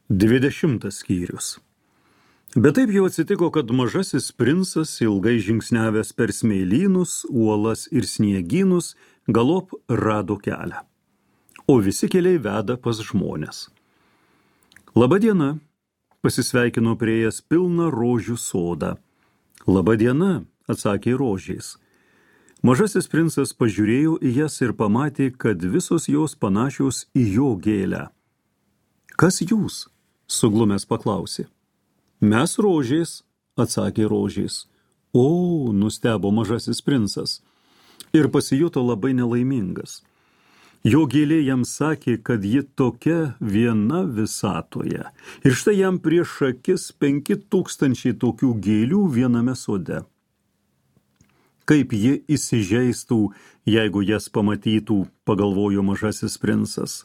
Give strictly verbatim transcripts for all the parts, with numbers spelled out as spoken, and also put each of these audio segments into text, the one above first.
Dvidešimtas skyrius. Bet taip jau atsitiko, kad mažasis princas, ilgai žingsniavęs per smėlynus, uolas ir sniegynus, galop rado kelią. O visi keliai veda pas žmones. Labadiena, pasisveikino prieėjęs pilną rožių sodą. Labadiena, atsakė rožės. Mažasis princas pažiūrėjo į jas ir pamatė, kad visos jos panašios į jo gėlę. Kas jūs? Suglumęs paklausė. Mes rožės, atsakė rožės. O, nustebo mažasis princas ir pasijuto labai nelaimingas. Jo gėlė jam sakė, kad ji tokia viena visatoje. Ir štai jam prieš akis penki tūkstančiai tokių gėlių viename sode. Kaip ji įsižeistų, jeigu jas pamatytų, pagalvojo mažasis princas.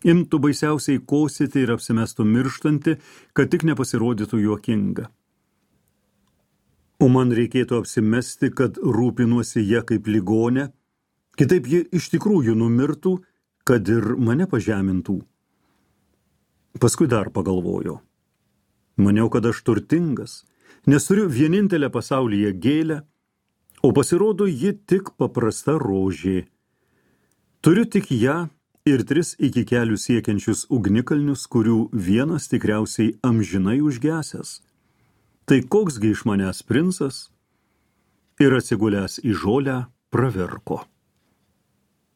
Imtų baisiausiai kosėti ir apsimestų mirštanti, kad tik nepasirodytų juokinga. O man reikėtų apsimesti, kad rūpinuosi ją kaip ligonė, kitaip ji iš tikrųjų numirtų, kad ir mane pažemintų. Paskui dar pagalvojo. Maniau, kad aš turtingas, nes turiu vienintelę pasaulyje gėlę, o pasirodo ji tik paprasta rožė. Turiu tik ją ir tris iki kelių siekiančius ugnikalnius, kurių vienas tikriausiai amžinai užgesęs. Tai koksgi iš manęs princas? Ir atsigulęs į žolę pravirko.